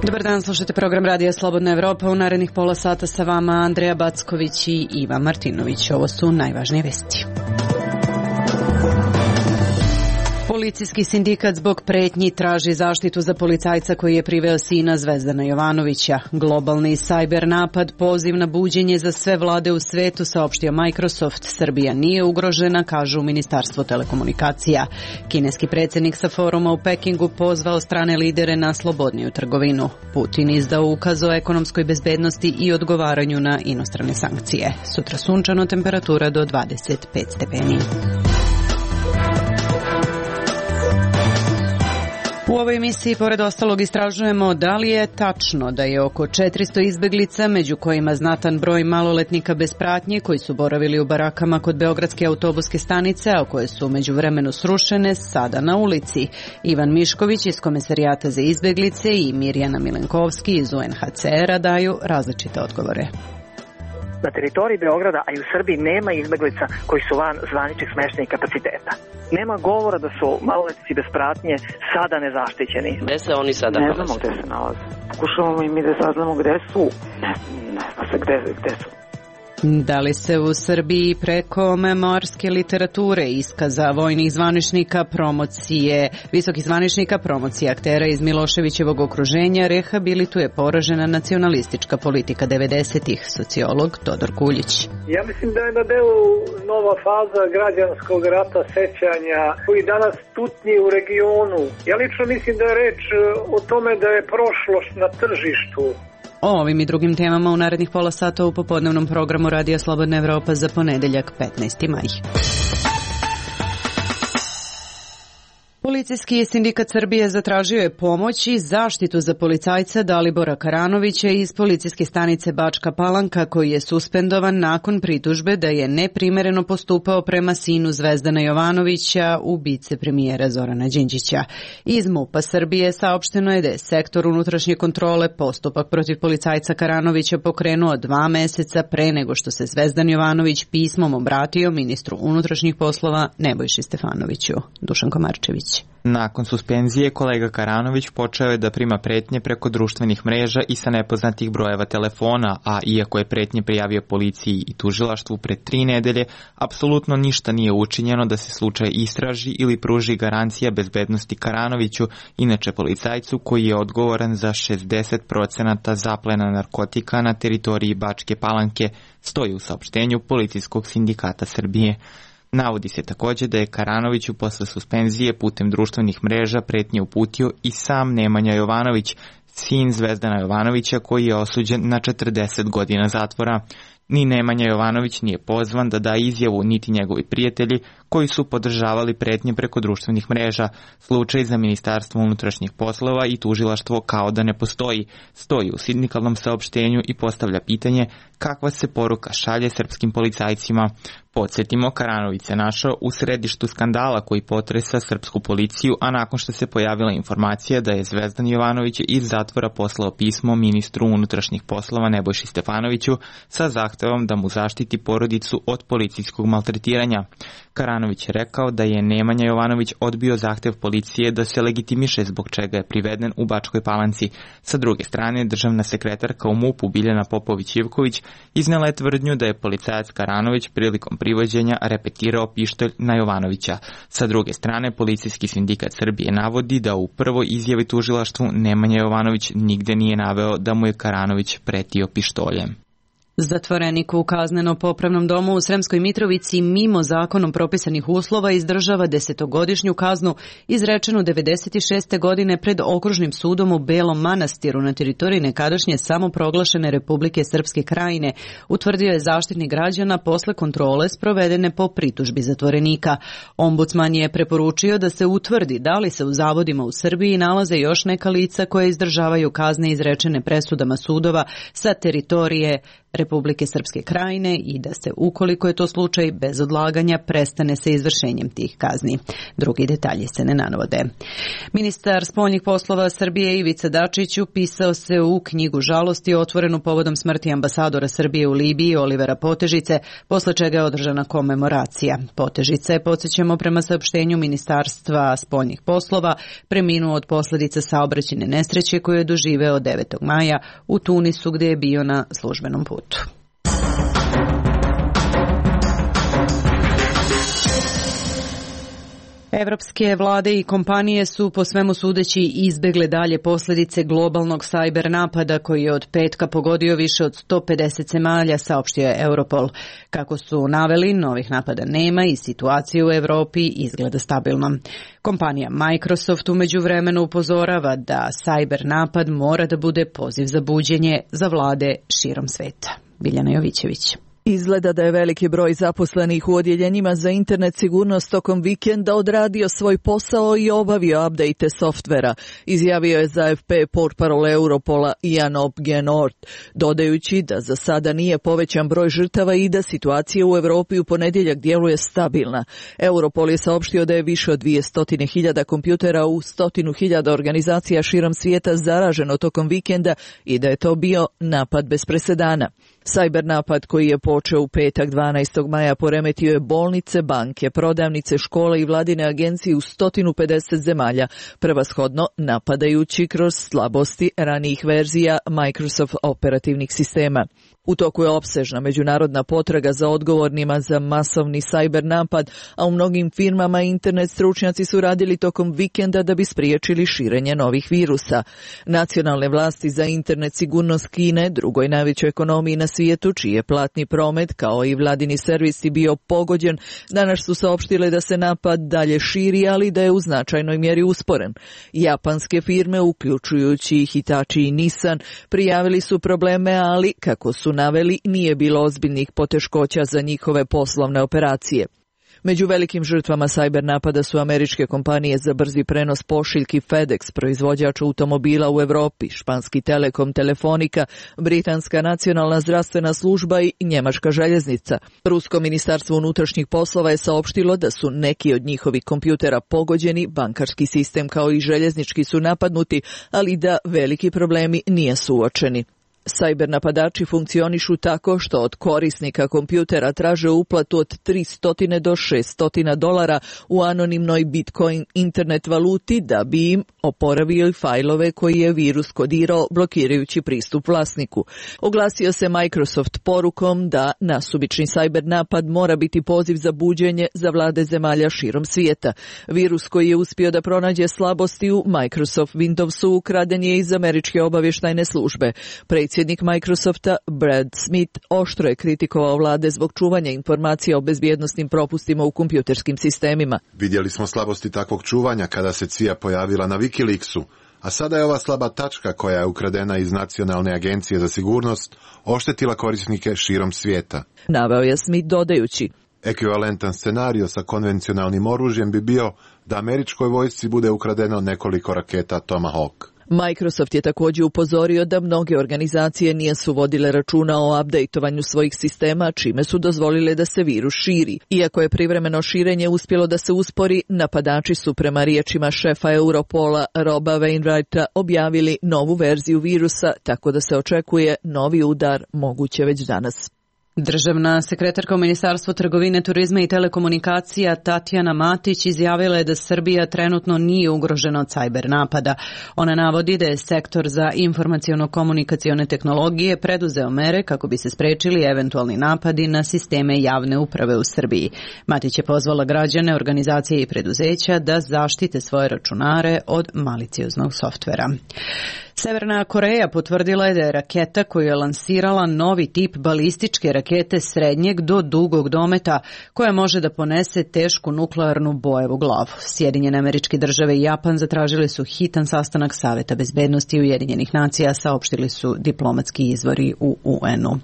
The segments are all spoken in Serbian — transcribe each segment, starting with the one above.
Dobar dan, slušate program Radija Slobodna Evropa. U narednih pola sata sa vama Andreja Backović i Ivan Martinović. Ovo su najvažnije vesti. Policijski sindikat zbog pretnji traži zaštitu za policajca koji je priveo sina Zvezdana Jovanovića. Globalni sajber napad, poziv na buđenje za sve vlade u svetu, saopštio Microsoft. Srbija nije ugrožena, kažu u Ministarstvu telekomunikacija. Kineski predsjednik sa foruma u Pekingu pozvao strane lidere na slobodniju trgovinu. Putin izdao ukaz o ekonomskoj bezbednosti i odgovaranju na inostrane sankcije. Sutra sunčano, temperatura do 25 stepeni. U ovoj emisiji, pored ostalog, istražujemo da li je tačno da je oko 400 izbeglica, među kojima znatan broj maloletnika bez pratnje, koji su boravili u barakama kod Beogradske autobuske stanice, a koje su međuvremenu srušene, sada na ulici. Ivan Mišković iz Komesarijata za izbeglice i Mirjana Milenkovski iz UNHCR-a daju različite odgovore. Na teritoriji Beograda, a i u Srbiji, nema izbeglica koji su van zvaničnih smeštajnih kapaciteta. Nema govora da su maloletnici bez pratnje sada nezaštićeni. Gde se oni sada nalaze? Ne znamo gde se nalaze. Pokušavamo i mi da saznamo gde su. Ne zna se gde su. Da li se u Srbiji preko memoarske literature, iskaza vojnih zvaničnika, promocije, visokih zvaničnika, promocije aktera iz Miloševićevog okruženja rehabilituje poražena nacionalistička politika 90-ih, sociolog Todor Kuljić? Ja mislim da je na delu nova faza građanskog rata sećanja koji danas tutnji u regionu. Ja lično mislim da je reč o tome da je prošlost na tržištu. O ovim i drugim temama u narednih pola sata u popodnevnom programu Radija Slobodna Evropa za ponedeljak 15. maj. Policijski sindikat Srbije zatražio je pomoć i zaštitu za policajca Dalibora Karanovića iz policijske stanice Bačka Palanka, koji je suspendovan nakon pritužbe da je neprimereno postupao prema sinu Zvezdana Jovanovića, ubice premijera Zorana Đinđića. Iz MUP-a Srbije saopšteno je da je sektor unutrašnje kontrole postupak protiv policajca Karanovića pokrenuo 2 meseca pre nego što se Zvezdan Jovanović pismom obratio ministru unutrašnjih poslova Nebojši Stefanoviću. Dušan Komarčević. Nakon suspenzije, kolega Karanović počeo je da prima pretnje preko društvenih mreža i sa nepoznatih brojeva telefona, a iako je pretnje prijavio policiji i tužilaštvu pred 3 nedelje, apsolutno ništa nije učinjeno da se slučaj istraži ili pruži garancija bezbednosti Karanoviću, inače policajcu koji je odgovoran za 60% zaplena narkotika na teritoriji Bačke Palanke, stoji u saopštenju Policijskog sindikata Srbije. Navodi se također da je Karanoviću posle suspenzije putem društvenih mreža pretnje uputio i sam Nemanja Jovanović, sin Zvezdana Jovanovića, koji je osuđen na 40 godina zatvora. Ni Nemanja Jovanović nije pozvan da da izjavu, niti njegovi prijatelji koji su podržavali pretnje preko društvenih mreža. Slučaj za Ministarstvo unutrašnjih poslova i tužilaštvo kao da ne postoji, stoji u sindikalnom saopštenju i postavlja pitanje kakva se poruka šalje srpskim policajcima. Podsjetimo, Karanović se našao u središtu skandala koji potresa srpsku policiju, a nakon što se pojavila informacija da je Zvezdan Jovanović iz zatvora poslao pismo ministru unutrašnjih poslova Nebojši Stefanoviću sa zahtevom da mu zaštiti porodicu od policijskog maltretiranja. Karanović je rekao da je Nemanja Jovanović odbio zahtev policije da se legitimiše zbog čega je priveden u Bačkoj Palanci. Sa druge strane, državna sekretarka u MUP-u Biljana Popović-Ivković iznela je tvrdnju da je policajac Karanović prilikom privođenja repetirao pištolj na Jovanovića. Sa druge strane, Policijski sindikat Srbije navodi da u prvoj izjavi tužilaštvu Nemanja Jovanović nigde nije naveo da mu je Karanović pretio pištoljem. Zatvorenik u kazneno-popravnom domu u Sremskoj Mitrovici mimo zakonom propisanih uslova izdržava 10-godišnju kaznu izrečenu 96. godine pred Okružnim sudom u Belom Manastiru na teritoriji nekadašnje samoproglašene Republike Srpske Krajine, utvrdio je zaštitnik građana posle kontrole sprovedene po pritužbi zatvorenika. Ombudsman je preporučio da se utvrdi da li se u zavodima u Srbiji nalaze još neka lica koje izdržavaju kazne izrečene presudama sudova sa teritorije Republike Srpske Krajine i da se, ukoliko je to slučaj, bez odlaganja prestane sa izvršenjem tih kazni. Drugi detalji se ne navode. Ministar spoljnih poslova Srbije Ivica Dačić upisao se u knjigu žalosti otvorenu povodom smrti ambasadora Srbije u Libiji Olivera Potežice, posle čega je održana komemoracija. Potežica je, podsjećamo prema saopštenju Ministarstva spoljnih poslova, preminuo od posljedica saobraćajne nesreće koju je doživeo 9. maja u Tunisu gdje je bio na službenom putu. Evropske vlade i kompanije su po svemu sudeći izbegle dalje posljedice globalnog sajber napada koji je od petka pogodio više od 150 zemalja, saopštio je Europol. Kako su naveli, novih napada nema i situacija u Europi izgleda stabilno. Kompanija Microsoft u međuvremenu upozorava da sajber napad mora da bude poziv za buđenje za vlade širom sveta. Biljana Jovićević. Izgleda da je veliki broj zaposlenih u odjeljenjima za internet sigurnost tokom vikenda odradio svoj posao i obavio update softvera, izjavio je za AFP portparol Europola Jan Opgenort, dodajući da za sada nije povećan broj žrtava i da situacija u Europi u ponedjeljak djeluje stabilna. Europol je saopštio da je više od 200.000 kompjutera u 100.000 organizacija širom svijeta zaraženo tokom vikenda i da je to bio napad bez presedana. Sajber napad koji je počeo u petak 12. maja poremetio je bolnice, banke, prodavnice, škole i vladine agencije u 150 zemalja, prevashodno napadajući kroz slabosti ranijih verzija Microsoft operativnih sistema. U toku je opsežna međunarodna potraga za odgovornima za masovni sajber napad, a u mnogim firmama internet stručnjaci su radili tokom vikenda da bi spriječili širenje novih virusa. Nacionalne vlasti za internet sigurnost Kine, drugoj najvećoj ekonomiji na svijetu, čiji je platni promet kao i vladini servisi bio pogođen, danas su saopštile da se napad dalje širi, ali da je u značajnoj mjeri usporen. Japanske firme, uključujući Hitachi i Nissan, prijavili su probleme, ali kako su naveli, nije bilo ozbiljnih poteškoća za njihove poslovne operacije. Među velikim žrtvama sajber napada su američke kompanije za brzi prenos pošiljki FedEx, proizvođač automobila u Europi, španski Telekom, Telefonika, britanska nacionalna zdravstvena služba i njemačka željeznica. Rusko ministarstvo unutrašnjih poslova je saopštilo da su neki od njihovih kompjutera pogođeni, bankarski sistem kao i željeznički su napadnuti, ali da veliki problemi nisu uočeni. Sajber napadači funkcionišu tako što od korisnika kompjutera traže uplatu od 300 do 600 dolara u anonimnoj Bitcoin internet valuti da bi im oporavio i fajlove koji je virus kodirao blokirajući pristup vlasniku. Oglasio se Microsoft porukom da nasumični sajber napad mora biti poziv za buđenje za vlade zemalja širom svijeta. Virus koji je uspio da pronađe slabosti u Microsoft Windowsu ukraden je iz američke obavještajne službe. Predsjednik Microsofta Brad Smith oštro je kritikovao vlade zbog čuvanja informacija o bezbjednosnim propustima u kompjuterskim sistemima. Vidjeli smo slabosti takvog čuvanja kada se CIA pojavila na Wikileaksu, a sada je ova slaba tačka koja je ukradena iz Nacionalne agencije za sigurnost oštetila korisnike širom svijeta. Naveo je Smith dodajući: ekvivalentan scenario sa konvencionalnim oružjem bi bio da američkoj vojsci bude ukradeno nekoliko raketa Tomahawk. Microsoft je također upozorio da mnoge organizacije nisu vodile računa o updateovanju svojih sistema, čime su dozvolile da se virus širi. Iako je privremeno širenje uspjelo da se uspori, napadači su prema riječima šefa Europola Roba Wainwrighta objavili novu verziju virusa, tako da se očekuje novi udar moguće već danas. Državna sekretarka u Ministarstvu trgovine, turizma i telekomunikacija Tatjana Matić izjavila je da Srbija trenutno nije ugrožena od sajber napada. Ona navodi da je sektor za informaciono-komunikacione tehnologije preduzeo mere kako bi se sprečili eventualni napadi na sisteme javne uprave u Srbiji. Matić je pozvala građane, organizacije i preduzeća da zaštite svoje računare od malicioznog softvera. Severna Koreja potvrdila je da je raketa koju je lansirala novi tip balističke rakete srednjeg do dugog dometa koja može da ponese tešku nuklearnu bojevu glavu. Sjedinjene Američke Države i Japan zatražili su hitan sastanak Saveta bezbednosti Ujedinjenih nacija, saopštili su diplomatski izvori u UN-u.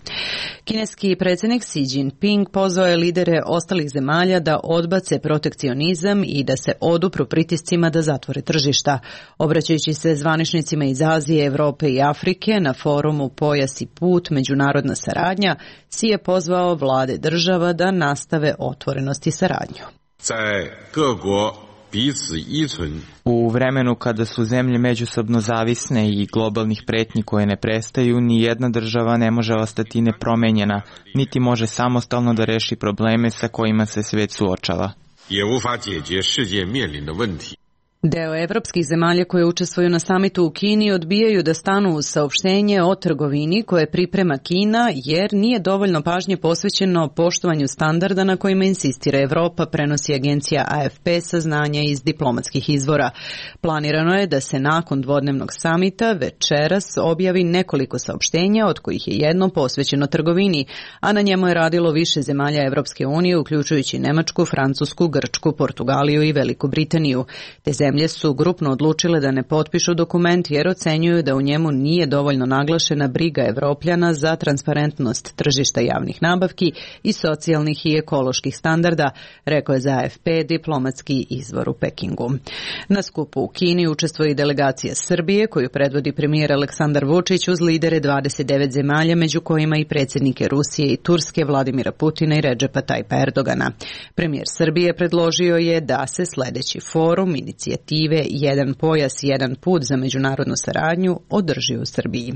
Kineski predsjednik Xi Jinping pozvao je lidere ostalih zemalja da odbace protekcionizam i da se odupru pritiscima da zatvore tržišta. Obraćajući se zvaničnicima iz Azije, Azije, Evrope i Afrike na forumu Pojas i put, međunarodna saradnja, Si je pozvao vlade država da nastave otvorenost i saradnju. U vremenu kada su zemlje međusobno zavisne i globalnih pretnji koje ne prestaju, ni jedna država ne može ostati nepromenjena, niti može samostalno da reši probleme sa kojima se svet suočava. Deo evropskih zemalja koje učestvuju na samitu u Kini odbijaju da stanu uz saopštenje o trgovini koje priprema Kina jer nije dovoljno pažnje posvećeno poštovanju standarda na kojima insistira Evropa, prenosi agencija AFP saznanja iz diplomatskih izvora. Planirano je da se nakon dvodnevnog samita večeras objavi nekoliko saopštenja, od kojih je jedno posvećeno trgovini, a na njemu je radilo više zemalja Evropske unije, uključujući Nemačku, Francusku, Grčku, Portugaliju i Veliku Britaniju. Te zemlje su grupno odlučile da ne potpišu dokument jer ocenjuju da u njemu nije dovoljno naglašena briga Evropljana za transparentnost tržišta javnih nabavki i socijalnih i ekoloških standarda, rekao je za AFP diplomatski izvor u Pekingu. Na skupu u Kini učestvuje i delegacija Srbije koju predvodi premijer Aleksandar Vučić uz lidere 29 zemalja, među kojima i predsjednike Rusije i Turske Vladimira Putina i Redžepa Tajpa Erdogana. Premijer Srbije predložio je da se sledeći forum inicijative Jedan pojas, jedan put za međunarodnu saradnju održi u Srbiji.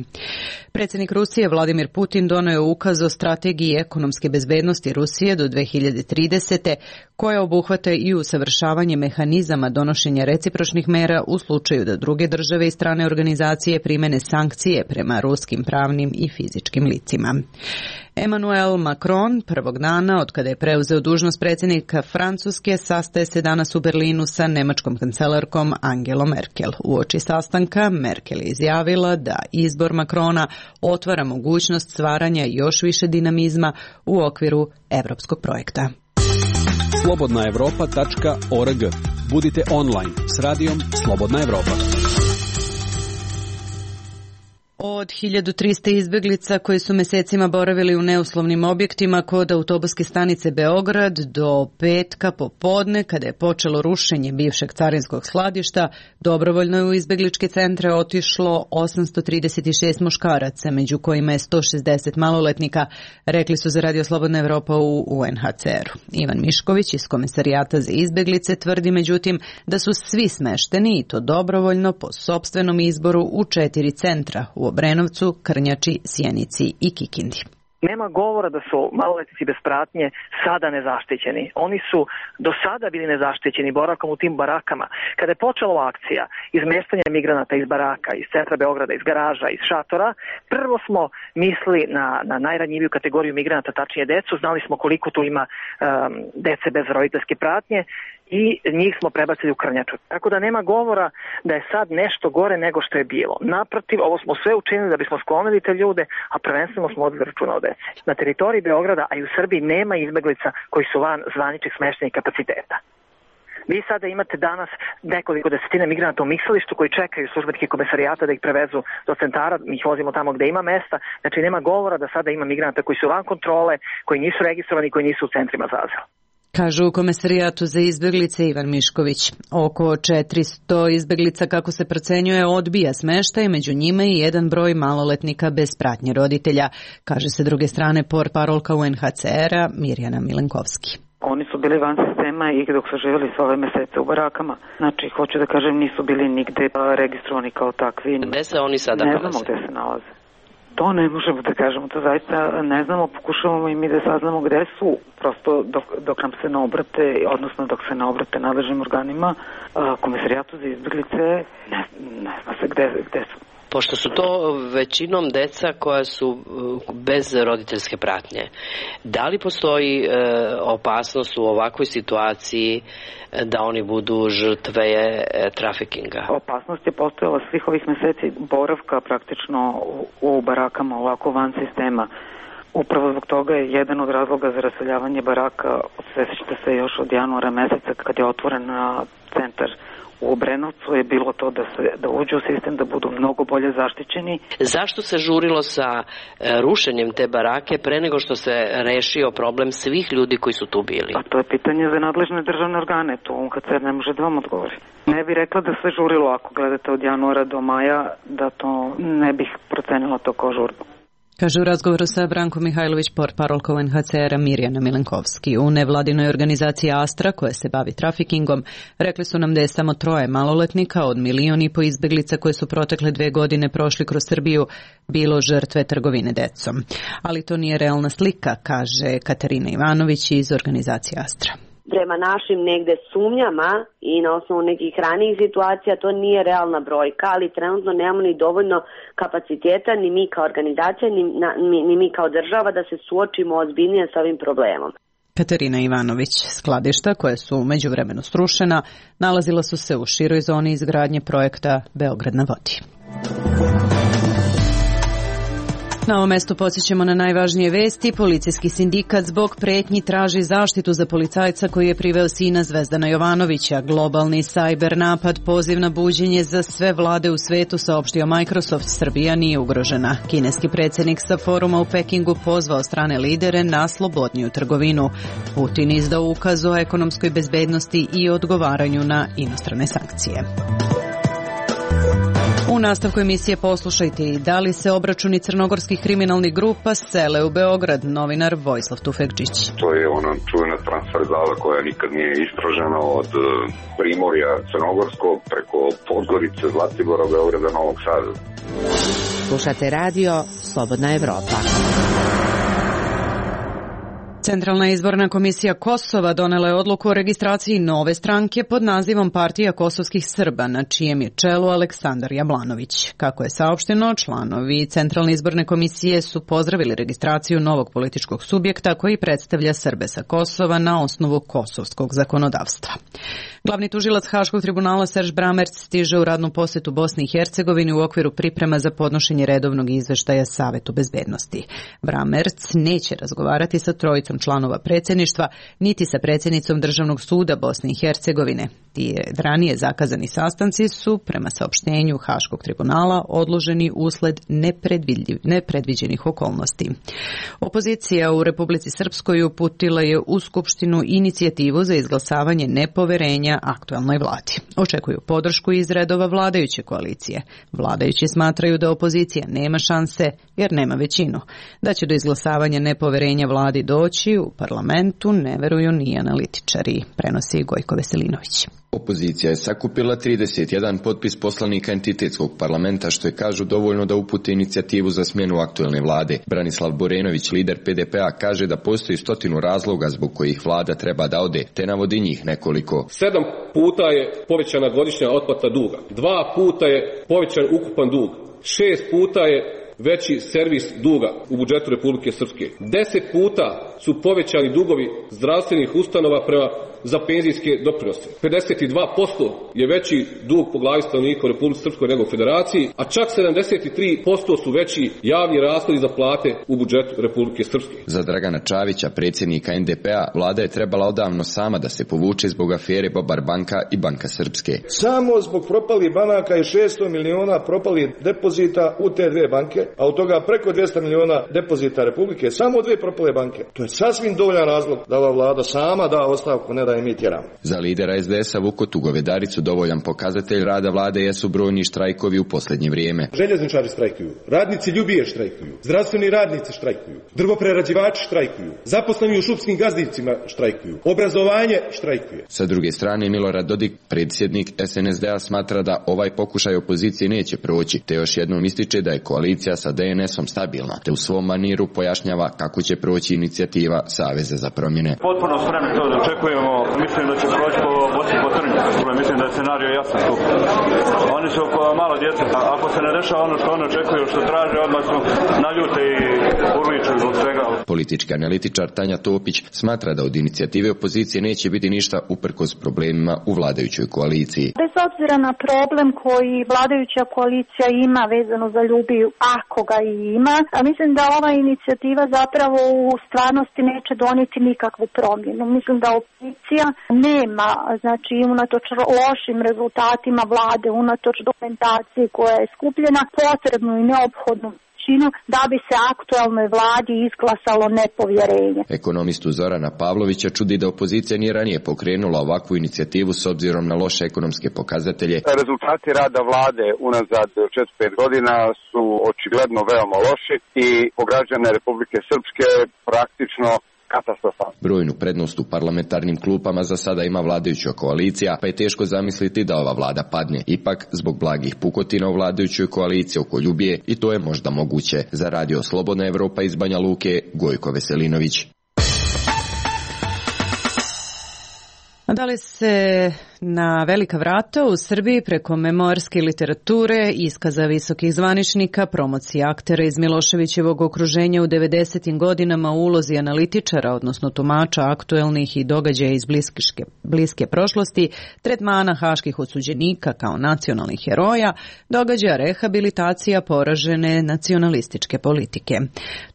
Predsjednik Rusije Vladimir Putin doneo je ukaz o strategiji ekonomske bezbednosti Rusije do 2030. koja obuhvata i usavršavanje mehanizama donošenja recipročnih mera u slučaju da druge države i strane organizacije primene sankcije prema ruskim pravnim i fizičkim licima. Emmanuel Macron prvog dana od kada je preuzeo dužnost predsjednika Francuske sastaje se danas u Berlinu sa nemačkom kancelarkom Angelom Merkel. Uoči sastanka Merkel je izjavila da izbor Macrona otvara mogućnost stvaranja još više dinamizma u okviru evropskog projekta. Slobodnaevropa.org. Budite online s radijom Slobodna Evropa. Od 1300 izbeglica koji su mesecima boravili u neuslovnim objektima kod autobuske stanice Beograd do petka popodne, kada je počelo rušenje bivšeg carinskog skladišta, dobrovoljno je u izbegličke centre otišlo 836 muškaraca, među kojima je 160 maloletnika, rekli su za Radio Slobodna Evropa u UNHCR-u. Ivan Mišković iz Komesarijata za izbeglice tvrdi međutim da su svi smešteni i to dobrovoljno po sopstvenom izboru u 4 centra u Obrenovcu, Krnjači, Sjenici i Kikindi. Nema govora da su maloletnici bez pratnje sada nezaštićeni. Oni su do sada bili nezaštićeni boravkom u tim barakama. Kada je počela akcija izmeštanja migranata iz baraka, iz centra Beograda, iz garaža, iz šatora, prvo smo mislili na najranjiviju kategoriju migranata, tačnije decu. Znali smo koliko tu ima dece bez roditeljske pratnje i njih smo prebacili u Krnjaču. Tako da nema govora da je sad nešto gore nego što je bilo. Naprotiv, ovo smo sve učinili da bismo sklonili te ljude, a prvenstveno smo odveli računa o deci. Na teritoriji Beograda, a i u Srbiji, nema izbeglica koji su van zvaničnih smeštajnih kapaciteta. Vi sada imate danas nekoliko desetina migranata u Miksalištu koji čekaju službenike Komesarijata da ih prevezu do centara, mi ih vozimo tamo gde ima mesta, znači nema govora da sada ima migranata koji su van kontrole, koji nisu registrovani, koji nisu u centrima za azil. Kažu u Komesarijatu za izbeglice Ivan Mišković. Oko 400 izbeglica, kako se procenjuje, odbija smeštaj, među njima i jedan broj maloletnika bez pratnje roditelja, kaže se druge strane portparolka UNHCR-a Mirjana Milenkovski. Oni su bili van sistema i dok su živjeli sve ove mesece u barakama. Znači, hoću da kažem, nisu bili nigde registrovani kao takvi. Gde se oni sada nalaze? Ne znamo gde se nalaze. To ne možemo da kažemo, to zaista ne znamo, pokušavamo i mi da saznamo gde su, prosto dok nam se ne obrate, odnosno dok se ne obrate nadležnim organima, Komesarijatu za izbeglice, ne zna se gde su. Pošto su to većinom deca koja su bez roditeljske pratnje, da li postoji opasnost u ovakvoj situaciji da oni budu žrtve trafikinga? Opasnost je postojala svih ovih meseci boravka praktično u barakama ovako van sistema. Upravo zbog toga je jedan od razloga za raseljavanje baraka, osjećate se još od januara meseca kad je otvoren centar u Obrenovcu je bilo to da uđu u sistem, da budu mnogo bolje zaštićeni. Zašto se žurilo sa rušenjem te barake pre nego što se rešio problem svih ljudi koji su tu bili? Pa to je pitanje za nadležne državne organe, to UNHCR ne može da vam odgovori. Ne bih rekla da se žurilo, ako gledate od januara do maja, da to ne bih procenila to kao žurbu. Kaže u razgovoru sa Brankom Mihajlović, portparolka UNHCR-a Mirjana Milenkovski. U nevladinoj organizaciji Astra, koja se bavi trafikingom, rekli su nam da je samo 3 maloletnika od 1,5 miliona izbeglica koje su protekle 2 godine prošli kroz Srbiju bilo žrtve trgovine decom. Ali to nije realna slika, kaže Katarina Ivanović iz organizacije Astra. Prema našim negde sumnjama i na osnovu nekih ranijih situacija to nije realna brojka, ali trenutno nemamo ni dovoljno kapaciteta, ni mi kao organizacija, ni mi kao država da se suočimo ozbiljnije s ovim problemom. Katarina Ivanović. Skladišta, koje su u međuvremenu srušena, nalazila su se u široj zoni izgradnje projekta Beograd na vodi. Na ovom mestu podsjećamo na najvažnije vesti. Policijski sindikat zbog pretnji traži zaštitu za policajca koji je priveo sina Zvezdana Jovanovića. Globalni cyber napad, poziv na buđenje za sve vlade u svetu, saopštio Microsoft. Srbija nije ugrožena. Kineski predsjednik sa foruma u Pekingu pozvao strane lidere na slobodniju trgovinu. Putin izdao ukaz o ekonomskoj bezbednosti i odgovaranju na inostrane sankcije. U nastavku emisije poslušajte i da li se obračuni crnogorskih kriminalnih grupa sele u Beograd, novinar Vojislav Tufekčić. To je ona čuvena transverzala koja nikad nije istražena od Primorja Crnogorskog preko Podgorice, Zlatibora, Beograda, Novog Sada. Slušate radio Slobodna Evropa. Centralna izborna komisija Kosova donela je odluku o registraciji nove stranke pod nazivom Partija kosovskih Srba, na čijem je čelu Aleksandar Jablanović. Kako je saopšteno, članovi Centralne izborne komisije su pozdravili registraciju novog političkog subjekta koji predstavlja Srbe sa Kosova na osnovu kosovskog zakonodavstva. Glavni tužilac Haškog tribunala Serž Bramerc stiže u radnu posetu Bosni i Hercegovini u okviru priprema za podnošenje redovnog izveštaja Savetu bezbednosti. Bramerc neće razgovarati sa 3 članova predsjedništva, niti sa predsjednicom Državnog suda Bosne i Hercegovine. Ti ranije zakazani sastanci su, prema saopštenju Haškog tribunala, odloženi usled nepredviđenih okolnosti. Opozicija u Republici Srpskoj uputila je u Skupštinu inicijativu za izglasavanje nepoverenja aktualnoj vladi. Očekuju podršku iz redova vladajuće koalicije. Vladajući smatraju da opozicija nema šanse jer nema većinu. Da će do izglasavanja nepoverenja vladi doći u parlamentu ne veruju ni analitičari, prenosi Gojko Veselinović. Opozicija je sakupila 31 potpis poslanika entitetskog parlamenta, što je, kažu, dovoljno da upute inicijativu za smjenu aktuelne vlade. Branislav Borenović, lider PDP-a, kaže da postoji 100 razloga zbog kojih vlada treba da ode, te navodi njih nekoliko. 7 puta je povećana godišnja otplata duga, 2 puta je povećan ukupan dug, 6 puta je veći servis duga u budžetu Republike Srpske. 10 puta su povećani dugovi zdravstvenih ustanova za penzijske doprinose. 52% je veći dug po glavi stanovnika u Republici Srpskoj nego u Federaciji, a čak 73% su veći javni rashodi za plate u budžetu Republike Srpske. Za Dragana Čavića, predsjednika NDP-a, vlada je trebala odavno sama da se povuče zbog afere Bobar banka i Banka Srpske. Samo zbog propalih banaka i 600 miliona propalih depozita u te 2 banke, a od toga preko 200 miliona depozita Republike, samo 2 propale banke. To je sasvim dovoljan razlog da ova vlada sama da ostavku, ne da je mi tjeramo. Za lidera SDS-a Vukotu Govedaricu dovoljan pokazatelj rada vlade jesu brojni štrajkovi u posljednje vrijeme. Željezničari štrajkuju, radnici Ljubije štrajkuju, zdravstveni radnici štrajkuju, drvoprerađivači štrajkuju, zaposleni u šupskim gazdicima štrajkuju, obrazovanje štrajkuje. Sa druge strane, Milorad Dodik, predsjednik SNSD-a, smatra da ovaj pokušaj opozicije neće proći, te još jednom ističe da je koalicija sa DNS-om stabilna, te u svom maniru pojašnjava kako će proći inicijativa Saveza za promjene. Potpuno spremni to da očekujemo, mislim da će proći po boci po trnju. Mislim da je scenario jasan tu. Oni su malo djeca, ako se ne dešava ono što oni očekuju, što traže, odmah su naljute i urličuju zbog svega. Politički analitičar Tanja Topić smatra da od inicijative opozicije neće biti ništa uprkos problemima u vladajućoj koaliciji. Bez obzira na problem koji vladajuća koalicija ima vezano za Ljubiju, ako ga i ima, mislim da ova inicijativa zapravo u stvarnosti neće donijeti nikakvu promjenu. Mislim da opozicija nema, znači unatoč lošim rezultatima vlade, unatoč dokumentaciji koja je skupljena, potrebnu i neophodnu da bi se aktualnoj vladi izglasalo nepovjerenje. Ekonomistu Zorana Pavlovića čudi da opozicija nije ranije pokrenula ovakvu inicijativu s obzirom na loše ekonomske pokazatelje. Rezultati rada vlade unazad 4-5 godina su očigledno veoma loši i po građane Republike Srpske praktično katastrofa. Brojnu prednost u parlamentarnim klupama za sada ima vladajuća koalicija, pa je teško zamisliti da ova vlada padne. Ipak, zbog blagih pukotina u vladajućoj koaliciji oko Ljubije, i to je možda moguće. Za Radio Slobodna Evropa iz Banja Luke, Gojko Veselinović. Da li se na velika vrata u Srbiji preko memoarske literature, iskaza visokih zvaničnika, promocije aktera iz Miloševićevog okruženja u 90. godinama u ulozi analitičara, odnosno tumača aktuelnih i događaja iz bliske prošlosti, tretmana haških osuđenika kao nacionalnih heroja, događa rehabilitacija poražene nacionalističke politike.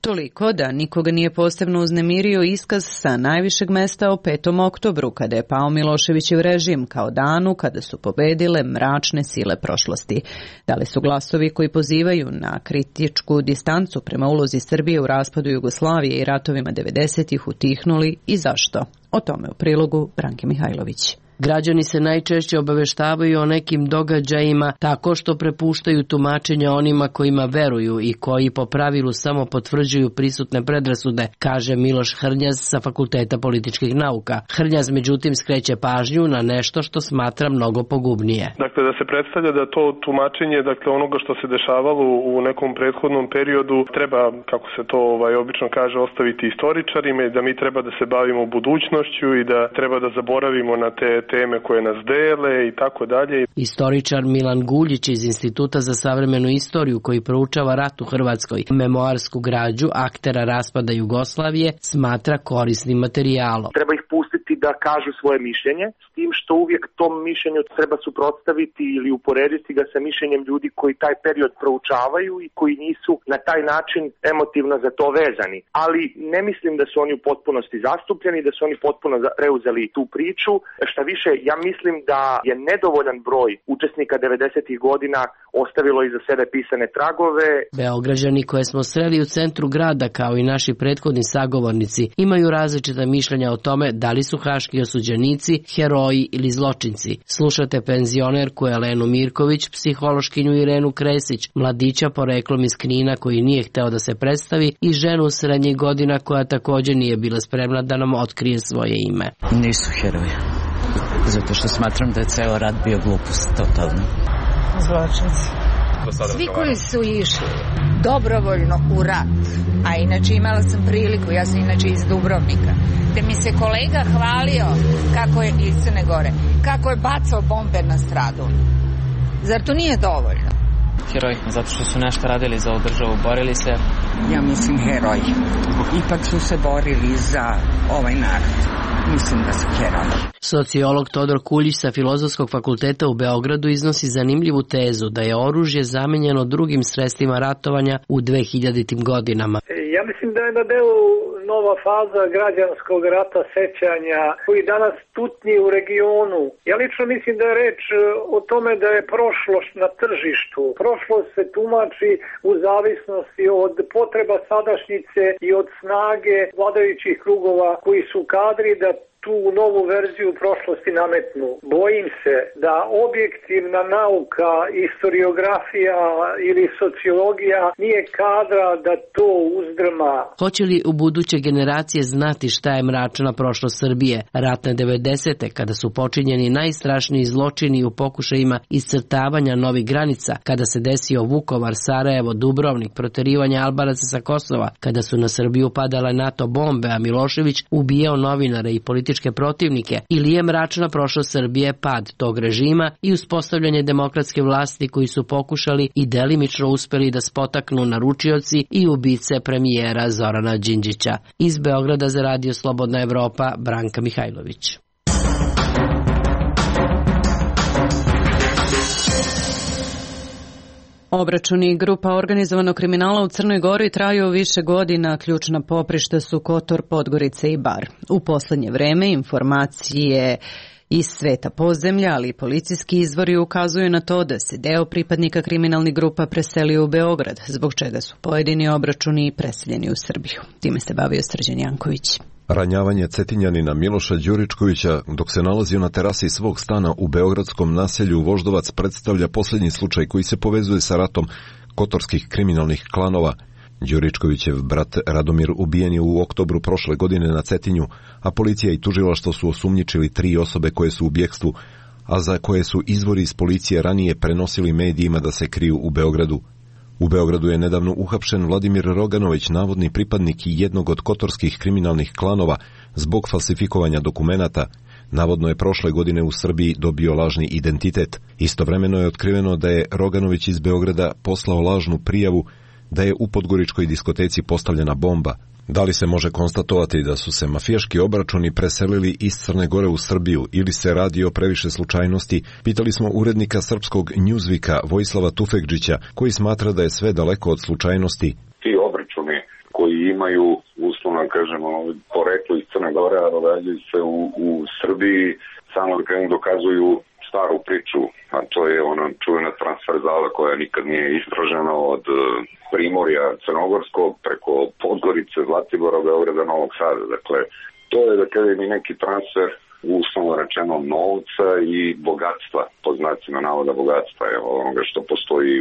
Toliko da nikoga nije posebno uznemirio iskaz sa najvišeg mesta o 5. oktobru, kada je pao Miloševićev režim, kao danu kada su pobedile mračne sile prošlosti. Da li su glasovi koji pozivaju na kritičku distancu prema ulozi Srbije u raspadu Jugoslavije i ratovima 90-ih utihnuli i zašto? O tome u prilogu Branke Mihajlović. Građani se najčešće obaveštavaju o nekim događajima tako što prepuštaju tumačenja onima kojima veruju i koji po pravilu samo potvrđuju prisutne predrasude, kaže Miloš Hrnjaz sa Fakulteta političkih nauka. Hrnjaz međutim skreće pažnju na nešto što smatra mnogo pogubnije. Dakle, da se predstavlja da to tumačenje, dakle onoga što se dešavalo u nekom prethodnom periodu, treba, kako se to obično kaže, ostaviti istoričarima i da mi treba da se bavimo budućnošću i da treba da zaboravimo na te teme koje nas dele i tako dalje. Istoričar Milan Guljić iz Instituta za savremenu istoriju koji proučava rat u Hrvatskoj, memoarsku građu aktera raspada Jugoslavije, smatra korisnim materijalom. Treba ih pustiti da kažu svoje mišljenje, s tim što uvijek tom mišljenju treba suprotstaviti ili uporediti ga sa mišljenjem ljudi koji taj period proučavaju i koji nisu na taj način emotivno za to vezani. Ali ne mislim da su oni u potpunosti zastupljeni, da su oni potpuno preuzeli tu priču. Šta više, ja mislim da je nedovoljan broj učesnika 90-ih godina ostavilo iza sebe pisane tragove. Beograđani koje smo sreli u centru grada, kao i naši prethodni sagovornici, imaju različita mišljenja o tome da li su haški osuđenici heroji ili zločinci. Slušate penzionerku Elenu Mirković, psihološkinju Irenu Kresić, mladića poreklom iz Knina koji nije hteo da se predstavi i ženu srednjih godina koja također nije bila spremna da nam otkrije svoje ime. Nisu heroji. Zato što smatram da je ceo rat bio glupost, totalno. Zločinci. Svi koji su išli dobrovoljno u rat, a inače imala sam priliku, ja sam inače iz Dubrovnika, da mi se kolega hvalio kako je iz Crne Gore, kako je bacao bombe na stradu. Zar to nije dovoljno? Heroji, zato što su nešto radili za ovu državu, borili se. Ja mislim heroji. Ipak su se borili za ovaj narod. Mislim da su heroji. Sociolog Todor Kuljić sa Filozofskog fakulteta u Beogradu iznosi zanimljivu tezu da je oružje zamenjeno drugim sredstvima ratovanja u 2000. godinama. Ja mislim da je na delu nova faza građanskog rata sećanja koji danas tutnji u regionu. Ja lično mislim da je reč o tome da je prošlost na tržištu. Prošlost se tumači u zavisnosti od potreba sadašnjice i od snage vladajućih krugova koji su kadri da tu novu verziju prošlosti nametnu. Bojim se da objektivna nauka, historiografija ili sociologija nije kadra da to uzdrma. Hoće li u buduće generacije znati šta je mračna prošlost Srbije? Ratne 90. kada su počinjeni najstrašniji zločini u pokušajima iscrtavanja novih granica, kada se desio Vukovar, Sarajevo, Dubrovnik, proterivanje Albanaca sa Kosova, kada su na Srbiju padale NATO bombe, a Milošević ubijao novinare i političke političke protivnike ili je mračna prošlost Srbije pad tog režima i uspostavljanje demokratske vlasti koji su pokušali i delimično uspeli da spotaknu naručioci i ubice premijera Zorana Đinđića. Iz Beograda za Radio Slobodna Evropa, Branka Mihajlović. Obračuni grupa organizovanog kriminala u Crnoj Gori traju više godina, ključna poprišta su Kotor, Podgorica i Bar. U poslednje vreme informacije iz sveta podzemlja, ali i policijski izvori ukazuju na to da se deo pripadnika kriminalnih grupa preselio u Beograd, zbog čega su pojedini obračuni preseljeni u Srbiju. Time se bavio Srđan Janković. Ranjavanje Cetinjanina Miloša Đuričkovića dok se nalazio na terasi svog stana u beogradskom naselju Voždovac predstavlja posljednji slučaj koji se povezuje sa ratom kotorskih kriminalnih klanova. Đuričkovićev brat Radomir ubijen je u oktobru prošle godine na Cetinju, a policija i tužilaštvo su osumnjičili 3 osobe koje su u bjekstvu, a za koje su izvori iz policije ranije prenosili medijima da se kriju u Beogradu. U Beogradu je nedavno uhapšen Vladimir Roganović, navodni pripadnik jednog od kotorskih kriminalnih klanova, zbog falsifikovanja dokumenata. Navodno je prošle godine u Srbiji dobio lažni identitet. Istovremeno je otkriveno da je Roganović iz Beograda poslao lažnu prijavu da je u podgoričkoj diskoteci postavljena bomba. Da li se može konstatovati da su se mafijaški obračuni preselili iz Crne Gore u Srbiju ili se radi o previše slučajnosti, pitali smo urednika srpskog Newsweeka Vojislava Tufekđića, koji smatra da je sve daleko od slučajnosti. Ti obračuni koji imaju, uslovno kažemo, poreklo iz Crne Gore, a događaju se u Srbiji, samo da kažem dokazuju staru priču, a to je ona čuvena transverzala koja nikad nije istražena od Primorja Crnogorskog preko Podgorice, Zlatibora, Beograda, Novog Sada. Dakle, to je da kažem i neki transfer uslovno rečeno novca i bogatstva, po znacima navoda bogatstva je onoga što postoji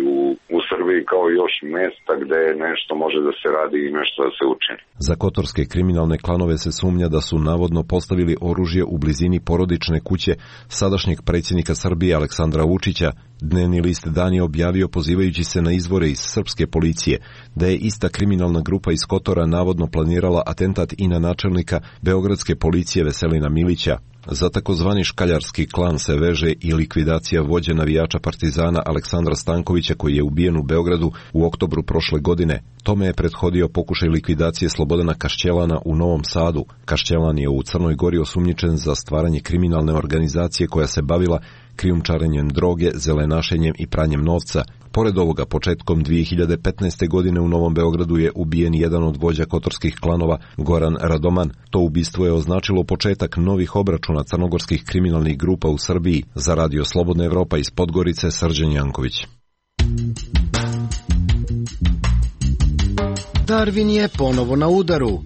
u Srbiji kao još mjesta gde nešto može da se radi i nešto da se učini. Za kotorske kriminalne klanove se sumnja da su navodno postavili oružje u blizini porodične kuće sadašnjeg predsjednika Srbije Aleksandra Vučića. Dnevni list Dan je objavio, pozivajući se na izvore iz srpske policije, da je ista kriminalna grupa iz Kotora navodno planirala atentat i na načelnika beogradske policije Veselina Milića. Za takozvani škaljarski klan se veže i likvidacija vođe navijača Partizana Aleksandra Stankovića, koji je ubijen u Beogradu u oktobru prošle godine. Tome je prethodio pokušaj likvidacije Slobodana Kašćelana u Novom Sadu. Kašćelan je u Crnoj Gori osumnjičen za stvaranje kriminalne organizacije koja se bavila krijumčarenjem droge, zelenašenjem i pranjem novca. Pored ovoga, početkom 2015. godine u Novom Beogradu je ubijen jedan od vođa kotorskih klanova, Goran Radoman. To ubistvo je označilo početak novih obračuna crnogorskih kriminalnih grupa u Srbiji. Za Radio Slobodna Evropa iz Podgorice, Srđan Janković. Darvin je ponovo na udaru.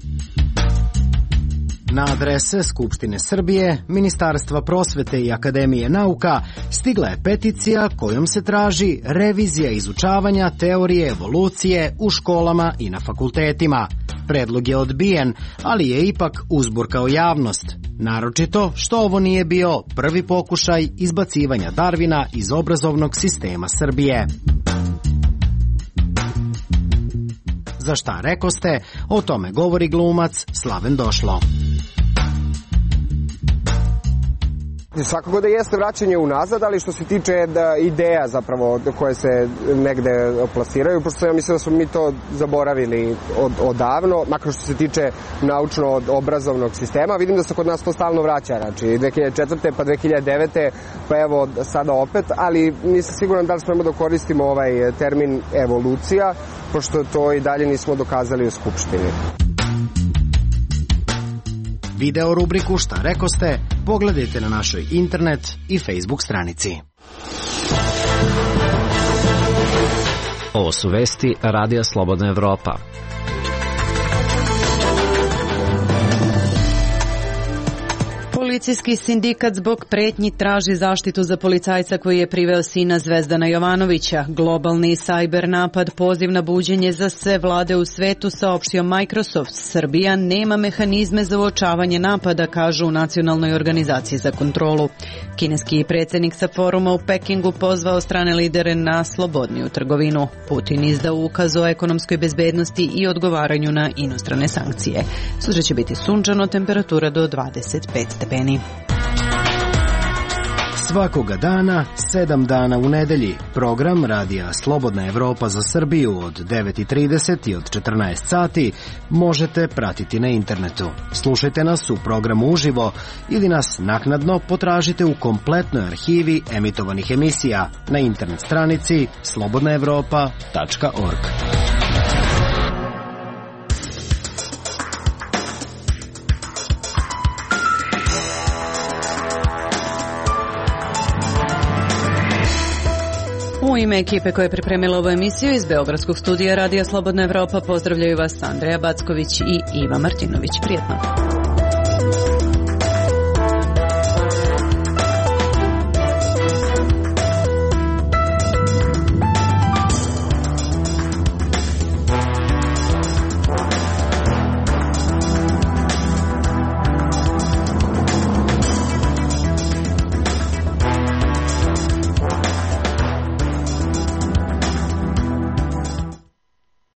Na adrese Skupštine Srbije, Ministarstva prosvete i Akademije nauka stigla je peticija kojom se traži revizija izučavanja teorije evolucije u školama i na fakultetima. Predlog je odbijen, ali je ipak uzburkao javnost. Naročito što ovo nije bio prvi pokušaj izbacivanja Darvina iz obrazovnog sistema Srbije. Za šta rekoste, o tome govori glumac Slaven Došlo. Svakako da jeste vraćanje unazad, ali što se tiče ideja zapravo koje se negde plasiraju, pošto ja mislim da smo mi to zaboravili odavno, makar što se tiče naučno-obrazovnog sistema. Vidim da se kod nas to stalno vraća, znači 2004. pa 2009. pa evo sada opet, ali nisam siguran da li smo da koristimo ovaj termin evolucija, pošto to i dalje nismo dokazali u Skupštini. Video rubriku Šta rekoste pogledajte na našoj internet i Facebook stranici. Ovo su vesti Radija Slobodna Evropa. Policijski sindikat zbog pretnji traži zaštitu za policajca koji je priveo sina Zvezdana Jovanovića. Globalni sajber napad, poziv na buđenje za sve vlade u svetu, saopštio Microsoft. Srbija nema mehanizme za uočavanje napada, kažu u Nacionalnoj organizaciji za kontrolu. Kineski predsjednik sa foruma u Pekingu pozvao strane lidere na slobodniju trgovinu. Putin izdao ukaz o ekonomskoj bezbednosti i odgovaranju na inostrane sankcije. Sutra će biti sunčano, temperatura do 25 stepeni. Svakoga dana, 7 dana u nedelji. Program Radija Slobodna Evropa za Srbiju od 9:30 i od 14 sati možete pratiti na internetu. Slušajte nas u programu uživo ili nas naknadno potražite u kompletnoj arhivi emitovanih emisija na internet stranici slobodnaevropa.org. U ime ekipe koja je pripremila ovu emisiju iz Beogradskog studija Radija Slobodna Evropa pozdravljaju vas Andreja Backović i Iva Martinović. Prijetno.